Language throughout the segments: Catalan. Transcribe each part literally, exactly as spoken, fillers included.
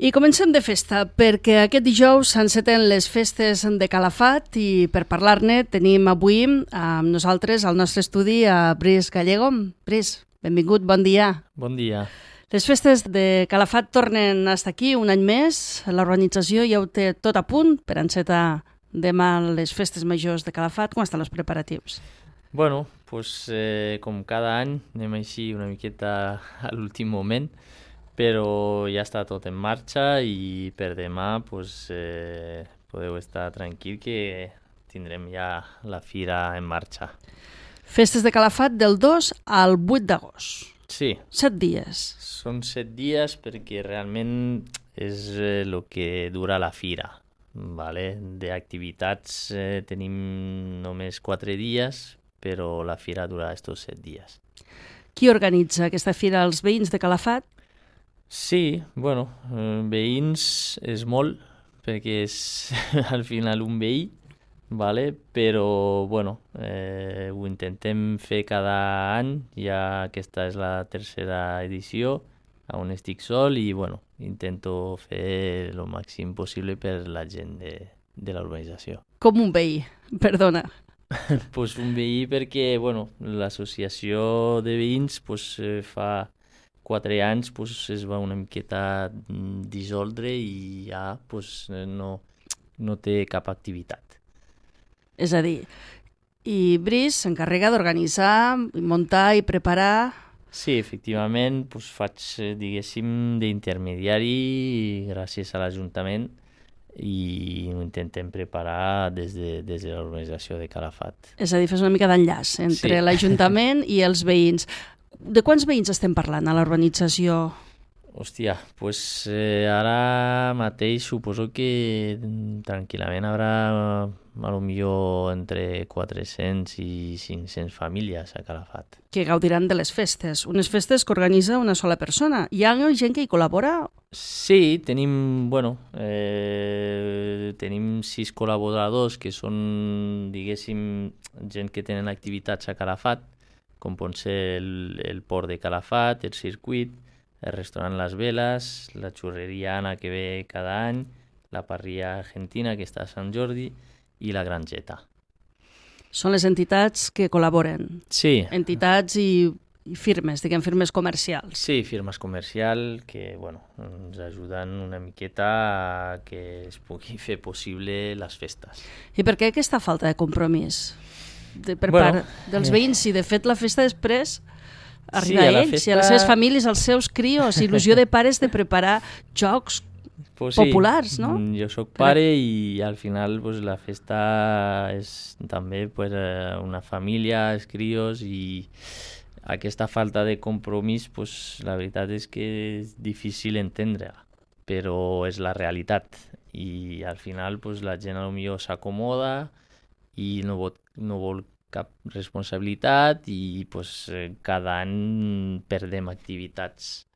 I comencem de festa, perquè aquest dijous s'enceten les festes de Calafat i per parlar-ne tenim avui amb nosaltres al nostre estudi a Bris Gallego. Bris, benvingut, bon dia. Bon dia. Les festes de Calafat tornen a estar aquí un any més. L'organització ja ho té tot a punt per encetar demà les festes majors de Calafat. Com estan els preparatius? Bueno, pues, eh, com cada any anem així una miqueta a l'últim moment, però ja està tot en marxa i per demà pues, eh, podeu estar tranquil que tindrem ja la fira en marxa. Festes de Calafat del dos al vuit d'agost. Sí. Set dies. Són set dies perquè realment és el eh, que dura la fira. Vale? D'activitats eh, tenim només quatre dies, però la fira dura estos set dies. Qui organitza aquesta fira? Els veïns de Calafat? Sí, bueno, eh, veïns és molt, perquè és al final un veí, vale? Però bueno, eh, ho intentem fer cada any, ja aquesta és la tercera edició, on estic sol i bueno, intento fer el màxim possible per la gent de, de l'organització. Com un veí, perdona. Pues un veí perquè bueno, l'associació de veïns pues, eh, fa quatre anys pues, es va una miqueta dissoldre i ja pues, no, no té cap activitat. És a dir, i Bris s'encarrega d'organitzar, muntar i preparar... Sí, efectivament, pues, faig, diguéssim, d'intermediari gràcies a l'Ajuntament i ho intentem preparar des de, des de l'organització de Calafat. És a dir, fes una mica d'enllaç entre sí. l'Ajuntament i els veïns. De quants veïns estem parlant a l'urbanització? Hòstia, pues eh, ara mateix suposo que tranquil·lament haurà a lo millor entre quatre-cents i cinc-cents famílies a Calafat. Que gaudiran de les festes. Unes festes que organitza una sola persona. Hi ha gent que hi col·labora? Sí, tenim, bueno, eh, tenim sis col·laboradors que són, diguéssim, gent que tenen activitats a Calafat, com pot ser el, el port de Calafat, el circuit, el restaurant Las Velas, la xurreria Anna que ve cada any, la parrilla argentina que està a Sant Jordi i la Grangeta. Són les entitats que col·laboren? Sí. Entitats i, i firmes, diguem, firmes comercials? Sí, firmes comercials que bueno, ens ajuden una miqueta a que es pugui fer possible les festes. I per què aquesta falta de compromís? De, per bueno, part dels veïns, si de fet la festa després arriba sí, a, a ells festa... i a les seves famílies, als seus crios, il·lusió de pares de preparar jocs pues populars, sí, no? Jo sóc pare i al final pues, la festa és també pues, una família, els crios i aquesta falta de compromís pues, la veritat és que és difícil entendre-la, però és la realitat i al final pues, la gent potser s'acomoda i no vol, no vol cap responsabilitat i pues, cada any perdem activitats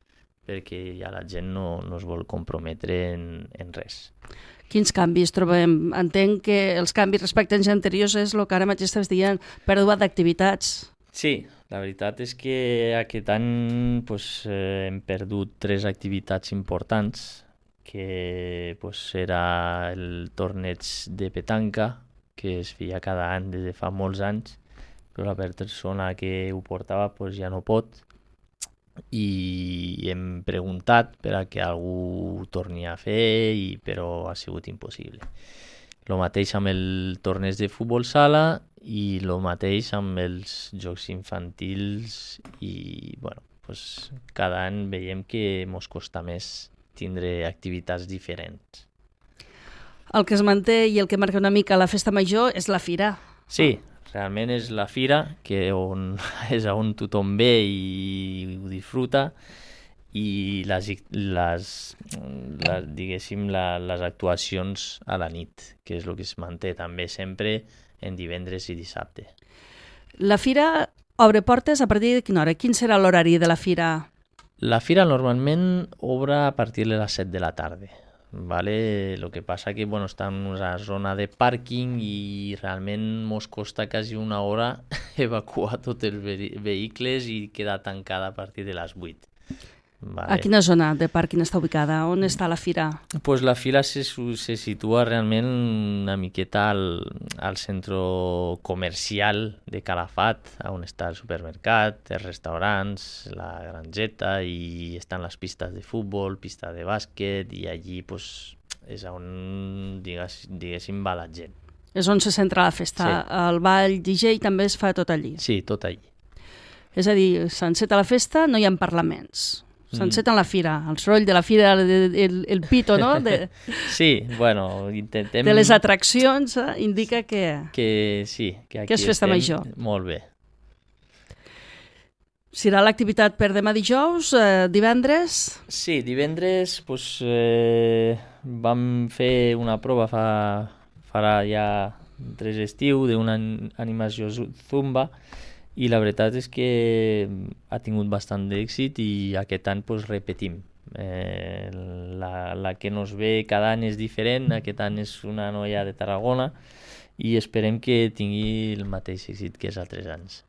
perquè ja la gent no, no es vol comprometre en, en res. Quins canvis trobem? Entenc que els canvis respecte a anys anteriors és el que ara mateix estàs dient, pèrdua d'activitats. Sí, la veritat és que aquest any pues, eh, hem perdut tres activitats importants, que pues, era el torneig de petanca, que es feia cada any des de fa molts anys, però la persona que ho portava pues, ja no pot i hem preguntat per a que algú ho torni a fer, i, però ha sigut impossible. El mateix amb el torneig de futbol sala i el mateix amb els jocs infantils i bueno, pues, cada any veiem que ens costa més tindre activitats diferents. El que es manté i el que marca una mica la festa major és la fira. Sí, realment és la fira, que on, és on tothom ve i ho disfruta, i les, les, les, diguéssim, la, les actuacions a la nit, que és el que es manté també sempre en divendres i dissabte. La fira obre portes a partir de quina hora? Quin serà l'horari de la fira? La fira normalment obre a partir de les set de la tarda. Vale? Lo que passa que bueno, està en una zona de pàrquing i realment mos costa quasi una hora evacuar tots els ve- vehicles i queda tancada a partir de les vuit. Vale. A quina zona de pàrquing està ubicada? On està la fira? Pues la fira se, se situa realment una miqueta al, al centre comercial de Calafat, on està el supermercat, els restaurants, la grangeta, i estan les pistes de futbol, pista de bàsquet, i allí pues, és on digués, diguéssim va la gent. És on se centra la festa. Sí. El ball D J també es fa tot allí. Sí, tot allí. És a dir, s'enceta la festa, no hi ha parlaments. S'enceta en la fira, el soroll de la fira, el, el, el pito, no? De, sí, bueno, intentem... De les atraccions, eh? Indica que... Que sí, que aquí que és festa estem major. Molt bé. Serà l'activitat per demà dijous, eh, divendres? Sí, divendres pues, eh, vam fer una prova fa, farà ja tres estiu d'una animació zumba, i la veritat és que ha tingut bastant d'èxit i aquest any pues, repetim. Eh, la, la que nos ve cada any és diferent, aquest any és una noia de Tarragona i esperem que tingui el mateix èxit que els altres anys.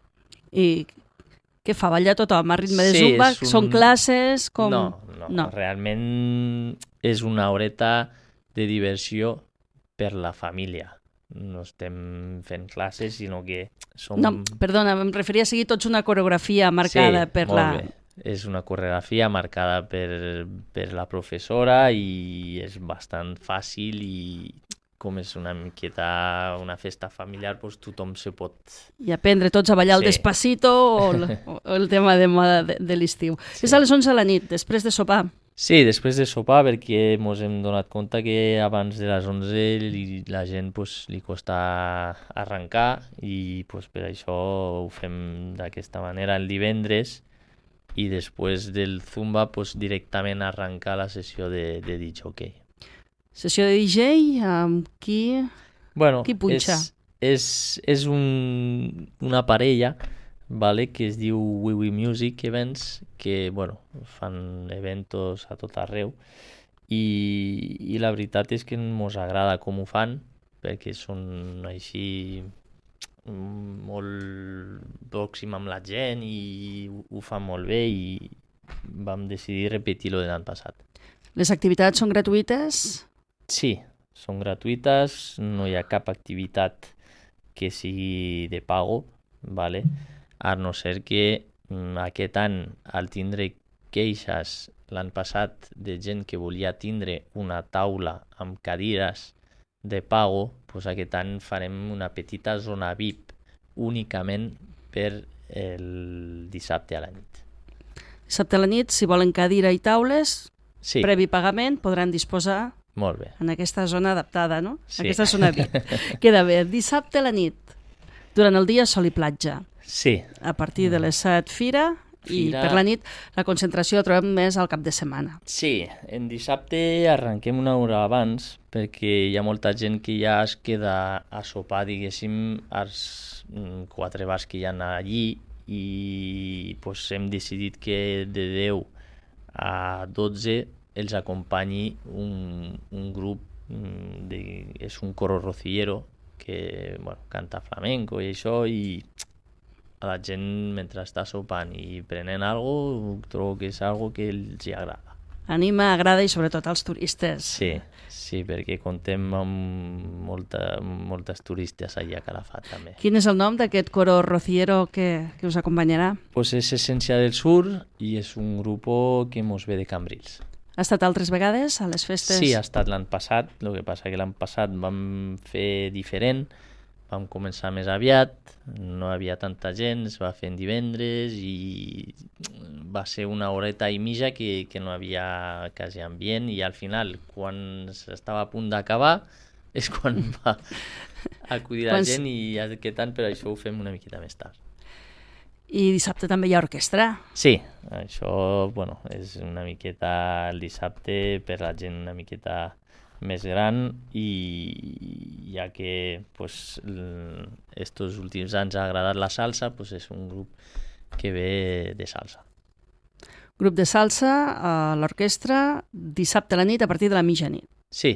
I què fa? Ballar tothom a ritme de sí, zumba? un... Són classes? Com... No, no, no, realment és una horeta de diversió per la família. No estem fent classes, sinó que som... No, perdona, em referia a seguir tots una coreografia marcada sí, per molt la... Bé. És una coreografia marcada per, per la professora i és bastant fàcil i com és una miqueta una festa familiar, doncs tothom se pot... I aprendre tots a ballar el sí. Despacito o el, o el tema de moda de, de l'estiu. Sí. És a les onze de la nit, després de sopar. Sí, després de sopar, perquè ens hem donat compte que abans de les onze li, la gent pues, li costa arrencar i pues, per això ho fem d'aquesta manera el divendres i després del zumba pues, directament arrencar la sessió de, de D J. Sessió de D J amb qui, bueno, qui punxa? És, és, és un, una parella, vale, que es diu We We Music Events, que bueno, fan eventos a tot arreu i, i la veritat és que ens agrada com ho fan perquè són així molt pròxim amb la gent i ho, ho fan molt bé i vam decidir repetir-ho de l'any passat. Les activitats són gratuïtes? Sí, són gratuïtes, no hi ha cap activitat que sigui de pago, vale? A no ser que aquest any, al tindre queixes l'any passat de gent que volia tindre una taula amb cadires de pago, doncs aquest any farem una petita zona V I P únicament per el dissabte a la nit. Dissabte a la nit, si volen cadira i taules, sí. Previ pagament, podran disposar Molt bé. en aquesta zona adaptada, no? Sí. Aquesta zona V I P. Queda bé. Dissabte a la nit, durant el dia sol i platja. Sí. A partir de les set, fira, i Fira... per la nit la concentració la trobem més al cap de setmana. Sí, en dissabte arrenquem una hora abans perquè hi ha molta gent que ja es queda a sopar, diguéssim, als quatre bars que hi ha allí i pues, hem decidit que de deu a dotze els acompanyi un, un grup, de, és un coro rociero que bueno, canta flamenco i això, i a la gent mentre està sopant i prenent alguna cosa, trobo que és algo que els hi agrada. Anima, agrada i sobretot als turistes. Sí, sí, perquè contem amb molta, moltes turistes allà a Calafat també. Quin és el nom d'aquest coro rociero que, que us acompanyarà? Pues és Essència del Sur i és un grup que mos ve de Cambrils. Ha estat altres vegades a les festes? Sí, ha estat l'any passat, el que passa que l'any passat vam fer diferent, vam començar més aviat, no havia tanta gent, es va fer en divendres i va ser una horeta i mitja que, que no havia quasi ambient i al final, quan estava a punt d'acabar, és quan va acudir la gent i aquest any per això ho fem una miqueta més tard. I dissabte també hi ha orquestra? Sí, això bueno, és una miqueta el dissabte per la gent una miqueta més gran i ja que pues, estos últims anys ha agradat la salsa, pues és un grup que ve de salsa. Grup de salsa a l'orquestra dissabte a la nit a partir de la mitjanit. Sí.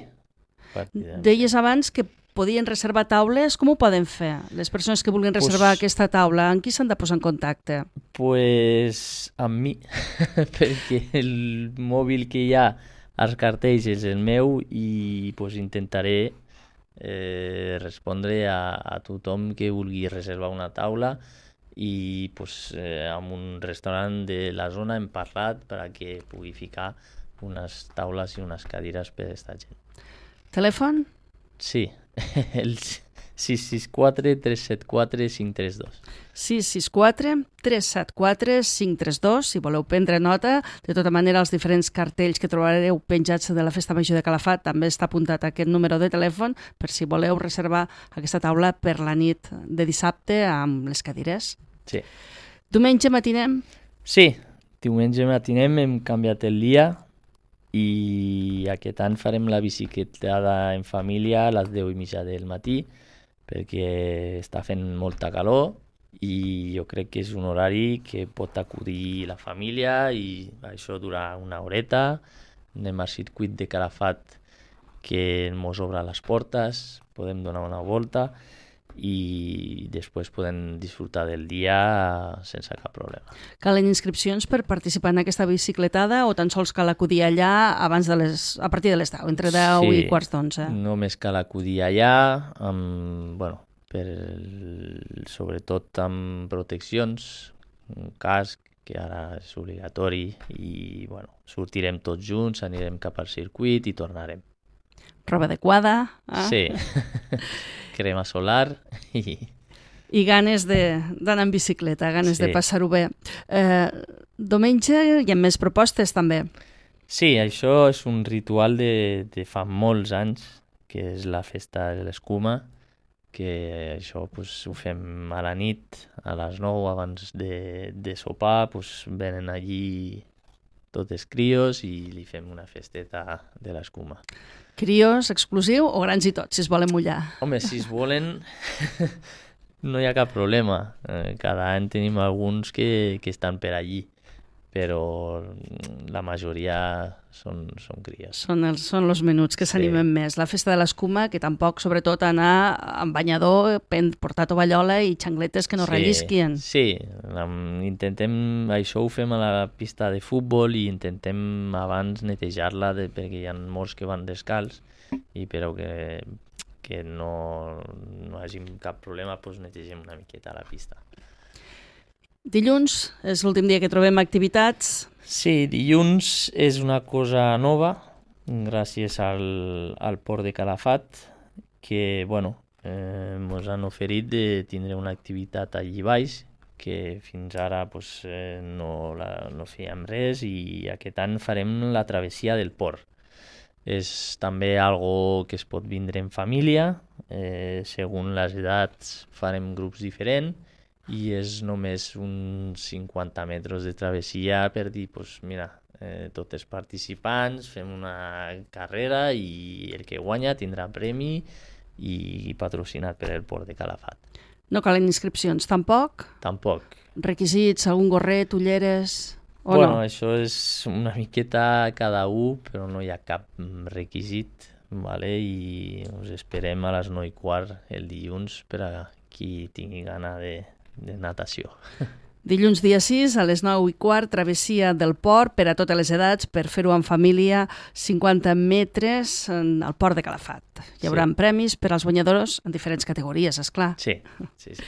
Deies abans que podien reservar taules, com ho poden fer? Les persones que vulguin reservar pues, aquesta taula, amb qui s'han de posar en contacte? Pues amb mi, perquè el mòbil que hi ha als cartells és el meu i pues, intentaré eh, respondre a, a tothom que vulgui reservar una taula i pues, eh, amb un restaurant de la zona hem parlat perquè pugui ficar unes taules i unes cadires per a aquesta gent. Telèfon? Sí, el sis sis quatre tres set quatre cinc tres dos. sis sis quatre tres set quatre cinc tres dos, si voleu prendre nota. De tota manera, els diferents cartells que trobareu penjats de la Festa Major de Calafat també està apuntat aquest número de telèfon per si voleu reservar aquesta taula per la nit de dissabte amb les cadires. Sí. Diumenge matinem? Sí, diumenge matinem hem canviat el dia i aquest any farem la bicicletada en família a les deu i mitja del matí perquè està fent molta calor i jo crec que és un horari que pot acudir la família i això dura una horeta. Anem al circuit de Calafat que ens obre les portes, podem donar una volta i després podem disfrutar del dia sense cap problema. Calen inscripcions per participar en aquesta bicicletada o tan sols cal acudir allà abans de les, a partir de les deu, entre deu sí, i quarts d'onze? Només cal acudir allà, amb, bueno, per el, sobretot amb proteccions, un casc, que ara és obligatori, i bueno, sortirem tots junts, anirem cap al circuit i tornarem. Roba adequada. Eh? Sí. Crema solar i... I ganes d'anar en bicicleta, ganes sí. de passar-ho bé. Eh, diumenge hi ha més propostes també. Sí, això és un ritual de, de fa molts anys, que és la festa de l'escuma, que això pues, ho fem a la nit, a les nou abans de, de sopar, pues, venen allí tots els crios i li fem una festeta de l'escuma. Crios, exclusiu o grans i tots, si es volen mullar? Home, si es volen, no hi ha cap problema. Eh, cada any tenim alguns que, que estan per allí, però la majoria són, són crios. Són els, són els menuts que s'animen sí. més. La festa de l'escuma, que tampoc, sobretot, anar amb banyador, portar tovallola i xangletes que no sí, rellisquien. Sí, intentem, això ho fem a la pista de futbol i intentem abans netejar-la de, perquè hi ha molts que van descalç i però que, que no, no hagi cap problema, doncs netegem una miqueta la pista. Dilluns és l'últim dia que trobem activitats. Sí, dilluns és una cosa nova, gràcies al, al Port de Calafat, que, bueno, eh, ens han oferit de tindre una activitat allí baix, que fins ara pues, eh, no, la, no fèiem res i aquest any farem la travessia del port. És també algo que es pot vindre en família, eh, segons les edats farem grups diferents, i és només uns cinquanta metres de travessia per dir, pues, mira, eh, tots els participants fem una carrera i el que guanya tindrà premi i patrocinat per el Port de Calafat. No calen inscripcions, tampoc? Tampoc. Requisits, algun gorret, ulleres o bueno, no? Això és una miqueta cada un, però no hi ha cap requisit, vale? I us esperem a les nou i quart el dilluns per a qui tingui gana de de natació. Dilluns dia sis, a les nou i quart, travessia del port per a totes les edats, per fer-ho en família, cinquanta metres al Port de Calafat. Hi haurà sí. premis per als guanyadors en diferents categories, esclar. Sí, sí, sí.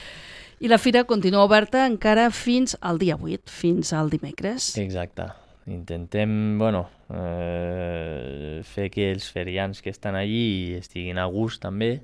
I la fira continua oberta encara fins al dia vuit, fins al dimecres. Exacte. Intentem, bueno, eh, fer que els ferians que estan allí estiguin a gust també,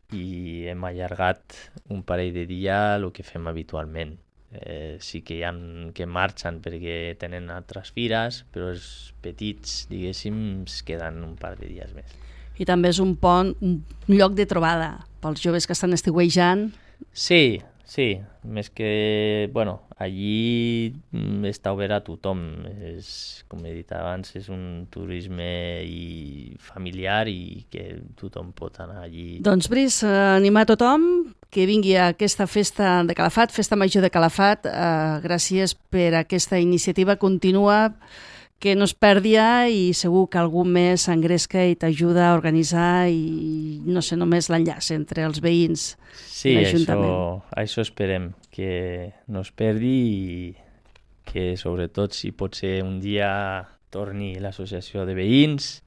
i hem allargat un parell de dies el que fem habitualment. Eh, sí que hi ha que marxen perquè tenen altres fires, però els petits, diguéssim, es queden un par de dies més. I també és un pont, un lloc de trobada pels joves que estan estiuejant. Sí, sí, més que, bueno, allí està obert a tothom. És, com he dit abans, és un turisme i familiar i que tothom pot anar allí. Doncs, Brice, animar tothom que vingui a aquesta festa de Calafat, Festa Major de Calafat. Eh, gràcies per aquesta iniciativa. Continua, que no es perdi i segur que algú més s'engresca i t'ajuda a organitzar i, no sé, només l'enllaç entre els veïns sí, i l'Ajuntament. Sí, això, això esperem, que no es perdi i que sobretot si pot ser un dia torni l'associació de veïns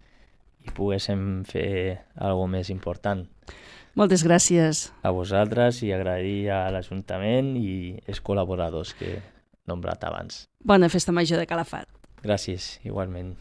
i poguéssim fer alguna més important. Moltes gràcies. A vosaltres i agrair a l'Ajuntament i els col·laboradors que he nombrat abans. Bona festa major de Calafat. Gràcies, igualment.